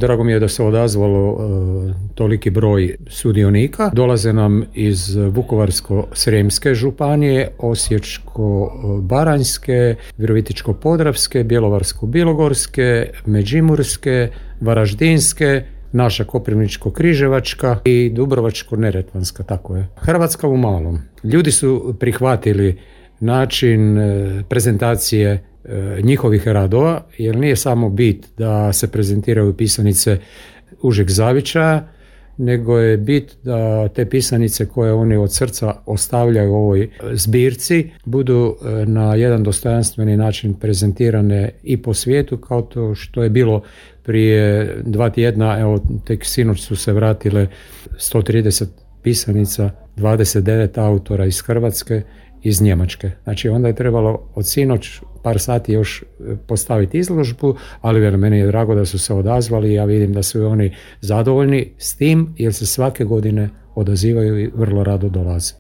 Drago mi je da se odazvalo toliki broj sudionika. Dolaze nam iz Vukovarsko-srijemske županije, Osječko-baranjske, Virovitičko-podravske, Bjelovarsko-bilogorske, Međimurske, Varaždinske, naša Koprivničko-križevačka i Dubrovačko-neretvanska, tako je. Hrvatska u malom. Ljudi su prihvatili način prezentacije njihovih radova, jer nije samo bit da se prezentiraju pisanice užeg zavičaja, nego je bit da te pisanice koje oni od srca ostavljaju u ovoj zbirci budu na jedan dostojanstveni način prezentirane i po svijetu, kao to što je bilo prije 2 tjedna. Evo, tek sinoć su se vratile 130 pisanica, 29 autora iz Hrvatske, iz Njemačke. Znači onda je trebalo od sinoć par sati još postaviti izložbu, ali meni je drago da su se odazvali i ja vidim da su oni zadovoljni s tim, jer se svake godine odazivaju i vrlo rado dolaze.